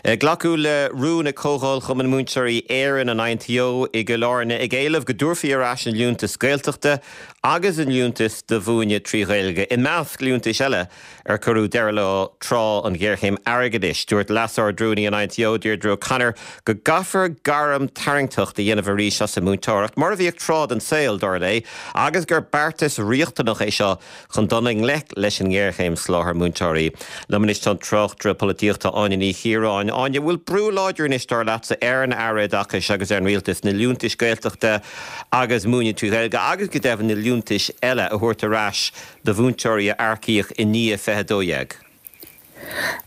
Glacadh le rún ag Comhdháil Chumann Múinteoirí Éireann, an INTO, i gCill Airne ag éileamh go dtabharfaí ar ais an liúntas Gaeltachta agus an liúntas do mhúineadh trí Ghaeilge, i measc liúntais eile ar cuireadh deireadh leo tráth an ghéarchéim airgeadais. Dúirt Leas-Ardrúnaí an INTO, Deirdre O'Connor, go gcaithfear gairm tarraingteach a dhéanamh arís as an múinteoireacht, mar a bhíodh tráth den saol, dar léi, agus gur beartas riachtanach é seo Chun dul i ngleic leis an ngéarchéim soláthair múinteoirí. Liom anois tá an tráchtaire polaitíochta Áine Ní Chiaráin. Áine, bhfuil brú láidir anois, dar leatsa, ar an Aire Oideachais agus ar an Rialtas na liúntais Gaeltachta agus múineadh trí Ghaeilge agus go deimhin na liúntais eile a thabhairt ar ais do mhúinteoirí a earcaíodh i ndiaidh 2012?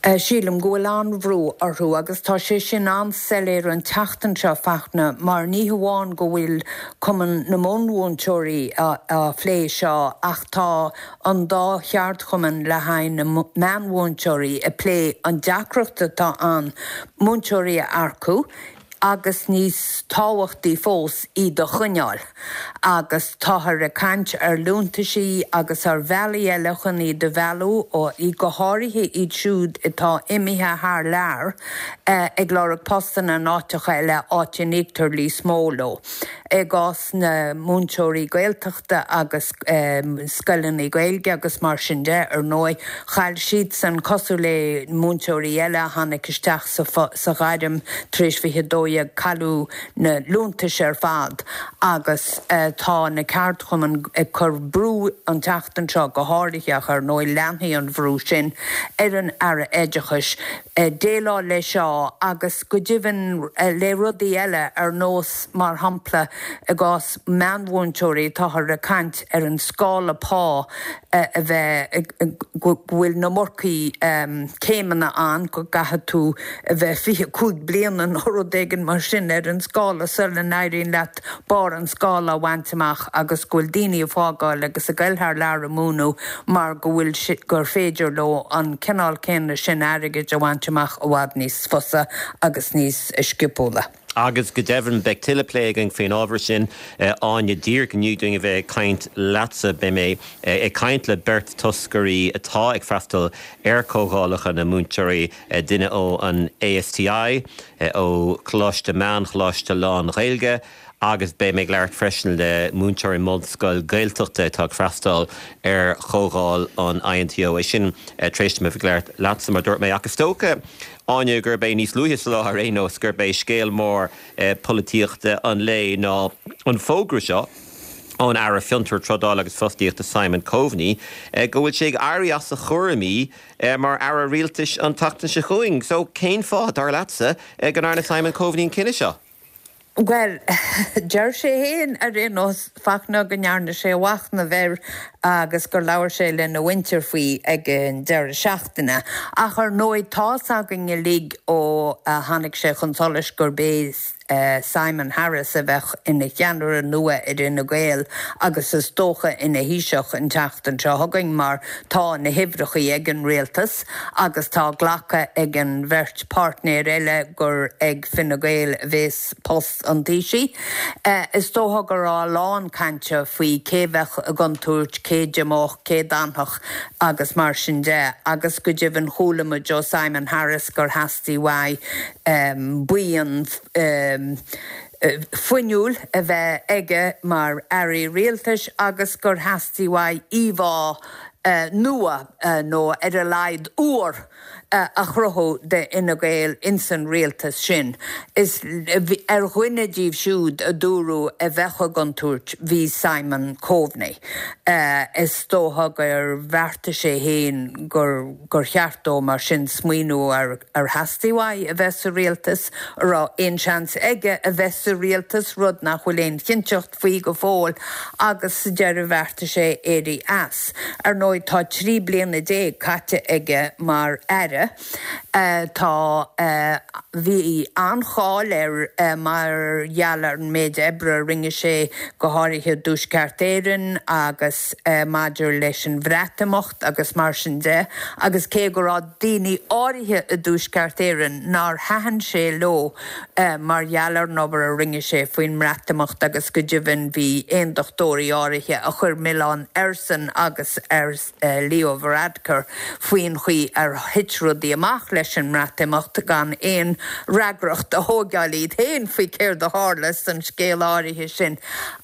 Sílim go bhfuil an-bhrú orthu agus tá sé sin an-soiléir an tseachtain seo, Fachtna, mar ní hamháin go bhfuil Cumann na mBunmhúinteoirí á phlé seo ach tá an dá cheardchumann le haghaidh na meánmhúinteoirí ag plé an deacracht atá ann múinteoirí a earcú, agus níos tábhachtaí fós, iad a choinneáil. Agus táthar ag caint ar liúntaisí agus ar bhealaí eile chun iad a mhealladh, go háirithe iad siúd atá imithe thar lear ag lorg postanna in áiteacha eile, áit a n-íoctar níos mó leo. I gcás na múinteoirí Gaeltachta agus scoileanna Gaeilge agus mar sin de, ar ndóigh, chaill siadsan, cosúil le múinteoirí eile a tháinig isteach sa ghairm tar éis 2012, cailleadh na liúntais ar fad agus tá na ceardchumainn ag cur brú an tseachtain seo go háirithe, ach ar ndóigh leanfaidh an bhrú sin ar an Aire Oideachais déileáil leis seo agus go deimhin le rudaí eile ar nós, mar shampla, i gcás meánmhúinteoirí, táthar ag caint ar an scála pá a bheith, go bhfuil na iomarcaí céimeanna ann, go gcaithfidh tú a bheith 25 bliana nó rud éigin mar sin ar an scála sula n-éiríonn leat barr an scála a bhaint amach agus go bhfuil daoine ag fágáil agus ag goil thar lear ag múineadh mar go bhfuil gur féidir leo an cineál céanna sin airgid a bhaint amach i bhfad níos fusa agus níos sciopúla. Agus go deimhin, beidh tuilleadh plé againn faoin ábhar sin, Áine. Díreach i ndiaidh dúinn a bheith ag caint leatsa, beidh mé ag caint le beirt toscairí atá ag freastal ar chomhdhálacha na múinteoirí, duine ó an ASTI, ó Choláiste Meán-Choláiste lán-Ghaeilge agus beidh mé ag labhairt freisin le múinteoir i mbunscoil Gaeltachta atá ag freastal ar chomhdháil an INTO. É sin tar éis dom a bheith ag labhairt leatsa, mar a dúirt mé. Ach is dócha, Áine, gurb é níos luaithe sa lá ar aon nós, gurb é scéal mór polaitíochta an lae ná an fógra seo ón Aire Fiontar, Trádála agus Fostaíochta Simon Coveney go bhfuil sé ag éirí as a chúraimí mar Aire Rialtais an tseachtain seo chugainn. So, cén fáth, dar leatsa, go ndearna Simon Coveney an cinneadh seo? Bhuel, deir sé féin ar aon nós, Fachtna, go ndearna sé a mhachnamh air agus gur labhair sé lena mhuintir faoi ag an deireadh seachtaine. Ach ar ndóigh, tá's againn uilig ó tháinig sé chun solais gurb é Simon Harris a bheadh ina cheannaire nua ar Fhine Gael agus is dócha ina Thaoiseach an tseachtain seo chugainn mar tá na huimhreachaí ag an rialtas agus tá glactha ag an bheirt páirtnéir eile gur ag Fine Gael a bhéas post an Taoisigh. Is dócha go raibh a lán cainte faoi cé bheadh i gcontúirt, cé d'imeodh, cé d'fhanfadh agus mar sin de agus go deimhin chuala muid ó Simon Harris gur theastaigh uaidh buíon fuinniúil a bheith aige mar airí rialtais agus gur theastaigh uaidh íomhá nua, nó ar a laghad úr, a chruthú d'Fhine Gael ins an rialtas sin. Is ar dhuine díobh siúd a dúradh a bheadh i gcontúirt bhí Simon Coveney. Is dócha gur bheartaigh sé féin gur gur cheart dó mar sin smaoineamh ar ar theastaigh uaidh a bheith sa rialtas, an raibh aon seans aige a bheith sa rialtas, rud nach bhfuil aon chinnteacht faoi go fóill, agus sa deireadh bheartaigh sé éirí as. Ar ndóigh tá 13 bliana caite aige mar aire. Tá, bhí an-cháil air mar gheall ar an méid oibre a rinne sé, go háirithe i dTuaisceart Éireann agus maidir leis an Bhreatimeacht. agus mar sin de, agus cé go raibh daoine áirithe i dTuaisceart Éireann nár thaitin sé leo mar gheall ar an obair a rinne sé faoin mBreatimeacht agus go deimhin bhí aondachtóirí áirithe a chuir milleán airsean agus ar Leo Varadkar faoin chaoi ar thit rudaí. rudaí amach leis an mBreatimeacht gan aon fhreagracht a thóigeáil iad féin faoi céard a tharla san scéal áirithe sin.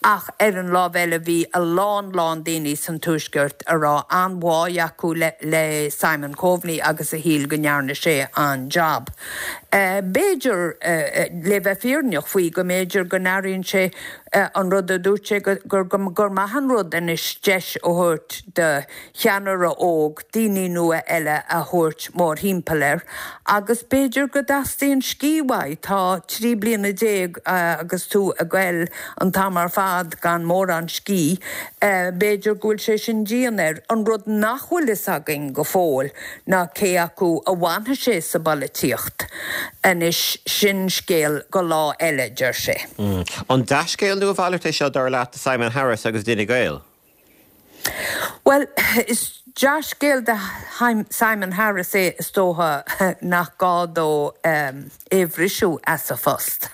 Ach ar an lámh eile bhí a lán lán daoine san Tuaisceart a raibh an-bháidh acu le Simon Coveney agus a shíl go ndearna sé an-jab. B'fhéidir, le bheith fírinneach faoi, go mb'fhéidir go n-airíonn sé an rud a dúirt sé gur gur maith an rud anois deis a thabhairt do cheannaire óg, daoine nua eile a thabhairt mórthimpeall air agus b'fhéidir go dteastaíonn scíth uaidh. Tá 13 bliana agus tú ag goil an t-am ar fad gan mórán scíth, b'fhéidir go bhfuil sé sin dian air. An rud nach bhfuil fhios againn go fóill ná cé acu a bhfanfaidh sé sa bpolaitíocht. Anois, sin scéal go lá eile, deir sé. An dea-scéal nó a mhalairt é seo, dar leat, do Simon Harris agus d'Fhine Gael? Bhuel, is dea-scéal do Simon Harris é, is dócha, nach gá dó é a bhriseadh as a phost,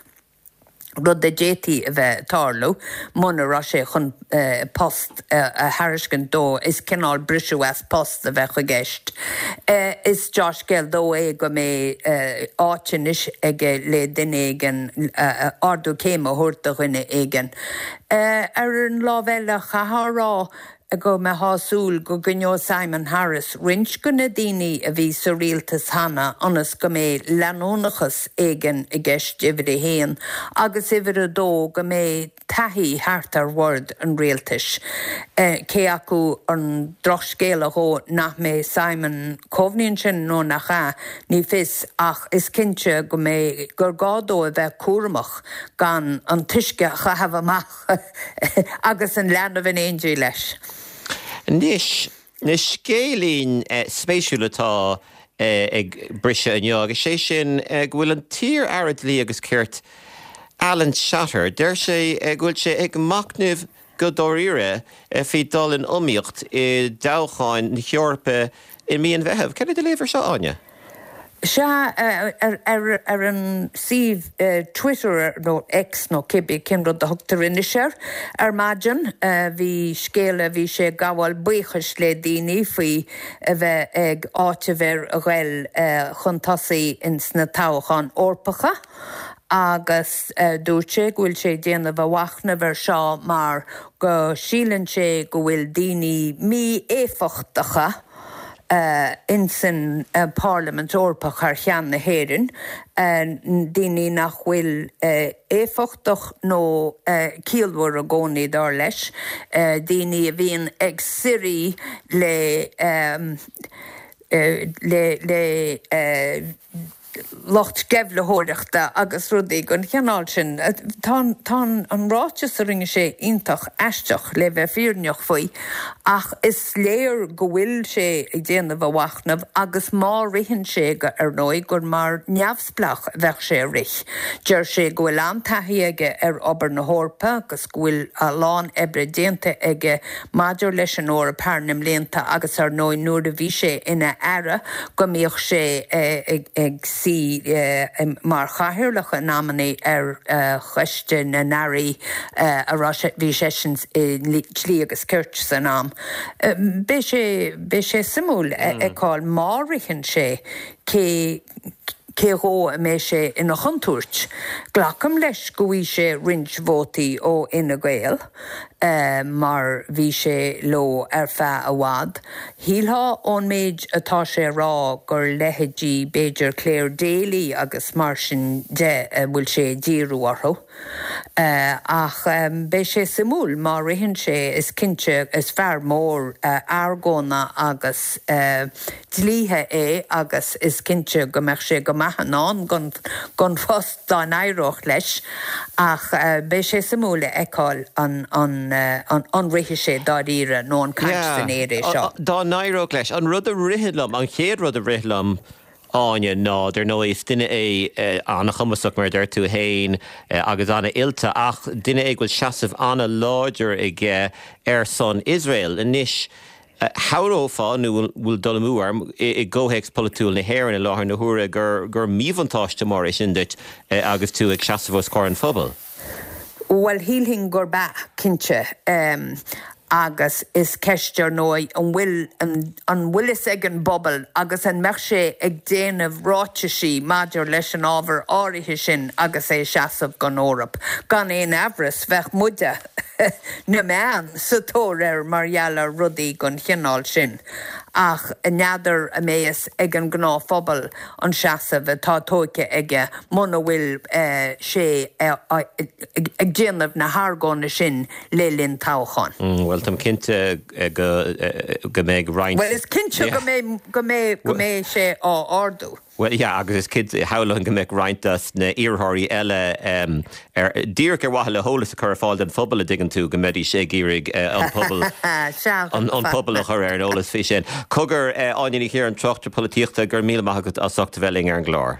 rud a d'fhéadfaí a bheith ag tarlú muna raibh sé chun post a thairiscint dó. Is cineál briseadh as post a bheadh i gceist. Is dea-scéal dó é go mbeidh áit anois aige le duine éigin, ardú céime a thabhairt do dhuine éigin. Ar an lámh eile, chaithfeá a rá go mbeifeá ag súil go gcoinneodh Simon Harris roinnt de na daoine a bhí sa rialtas cheana ionas go mbeidh leanúnachas éigin i gceist, uimhir a haon, agus uimhir a dó, go mbeidh taithí thart ar bhord an rialtais. Cé acu an drochscéala dhó nach mbeidh Simon Coveney ansin nó nach ea, ní fios, ach is cinnte go mbeidh, gur gá dó a bheith cúramach. gan an t-uisce a chaitheamh amach agus an leanbh in éindí leis. Anois, na scéilín spéisiúil atá ag briseadh inniu, agus sé sin go bhfuil an t-iar-aire Dlí agus Cirt, Alan Shatter, deir sé go bhfuil sé ag machnamh go dáiríre faoi dul in iomaíocht i dtoghcháin na hEorpa i mí an Mheithimh. Cad é do léamh ar seo, Áine? Sea, ar an suíomh Twitter, nó X nó cibé cén rud a thugtar anois air, ar maidin, bhí scéala, bhí sé ag gabháil buíochais le daoine faoi a bheith ag áiteamh air a ghoil chun tosaigh ins na toghcháin Eorpacha agus dúirt sé go bhfuil sé ag déanamh a mhachnaimh ar seo mar go síleann sé go bhfuil daoine mí-éifeachtacha insan bParlaimint Eorpach thar cheann na hÉireann, daoine nach bhfuil éifeachtach nó ciallmhar i gcónaí, dar leis, daoine a bhíonn ag suirí le le le lucht sceimhlitheoireachta agus rudaí den chineál sin. Tá an ráiteas a rinne sé iontach aisteach, le bheith fírinneach faoi, ach is léir go bhfuil sé ag déanamh a mhachnaimh agus má ritheann sé, ar ndóigh, gur mar neamhspleách a bheadh sé ag rith. Deir sé go bhfuil an-taithí aige ar obair na hEorpa agus go bhfuil a lán oibre déanta aige maidir leis an Eoraip thar na mblianta agus ar ndóigh nuair a bhí sé ina aire go mbíodh sé ag suí mar chathaoirleach in amannaí ar Choiste na nAirí a raibh sé, bhí seisean i nDlí agus Cirt san am. Beidh sé, beidh sé suimiúil a fheiceáil má ritheann sé cé cé dhó a mbeidh sé ina chontúirt. Glacaim leis go bhfaighidh sé roinnt vótaí ó Fhine Gael mar bhí sé leo ar feadh i bhfad. Shílfeá ón méid atá sé a rá gur leithéidí b'fhéidir Clare Daly agus mar sin de a bhfuil sé ag díriú orthu. Ach beidh sé suimiúil má ritheann sé, is cinnte. Is fear mór argóna agus dlíthe é agus is cinnte go mbeadh sé go maith in ann don phost dá n-éireodh leis. Ach beidh sé suimiúil a fheiceáil an rithfidh sé dáiríre nó an caint san aer é seo. Dá n-éireodh leis. An rud a ritheann liom, an chéad rud a rith liom, Áine, ná, dar ndóigh, is duine é an-chumasach, mar a deir tú féin, agus an-oilte, ach duine é go bhfuil seasamh an-láidir aige ar son Iosrael. Anois, shamhlófá, nó bhfuil dul amú orm, i gcomhthéacs polaitiúil na hÉireann i láthair na huaire, gur míbhuntáiste mór é sin duit agus tú ag seasamh os comhair an phobail. Bhuel, shílfinn gurb ea, cinnte. Agus is ceist, ar ndóigh, an bhfuil, an bhfuil fhios ag an bpobal agus an mbeadh sé ag déanamh ráitisí maidir leis an ábhar áirithe sin agus é ag seasamh don Eoraip. Gan aon amhras, bheadh muide, na meáin, sa tóir air mar gheall ar rudaí den chineál sin. Ach n'fheadar an mbeidh fhios ag an ngnáthphobal an seasamh atá tóigthe aige muna bhfuil sé ag déanamh na hargóna sin le linn toghcháin. Bhuel, táim cinnte go go mbeidh roinnt. Bhuel, is cinnte go mbeidh go mbeidh go mbeidh sé á ardú. Bhuel, yeah, agus is cinnte, shamhlóinn go mbeadh roinnt des na iarrthóirí eile ar, díreach ar mhaithe le heolas a chur ar fáil don phobal, a dtuigeann tú, go mbeidís ag iarraidh an pobal, an pobal a chur ar an eolas faoi sin. Cogar, Áine Ní Chiaráin, tráchtaire polaitíochta, go raibh míle maith agat as ucht a bheith linn ar an gclár.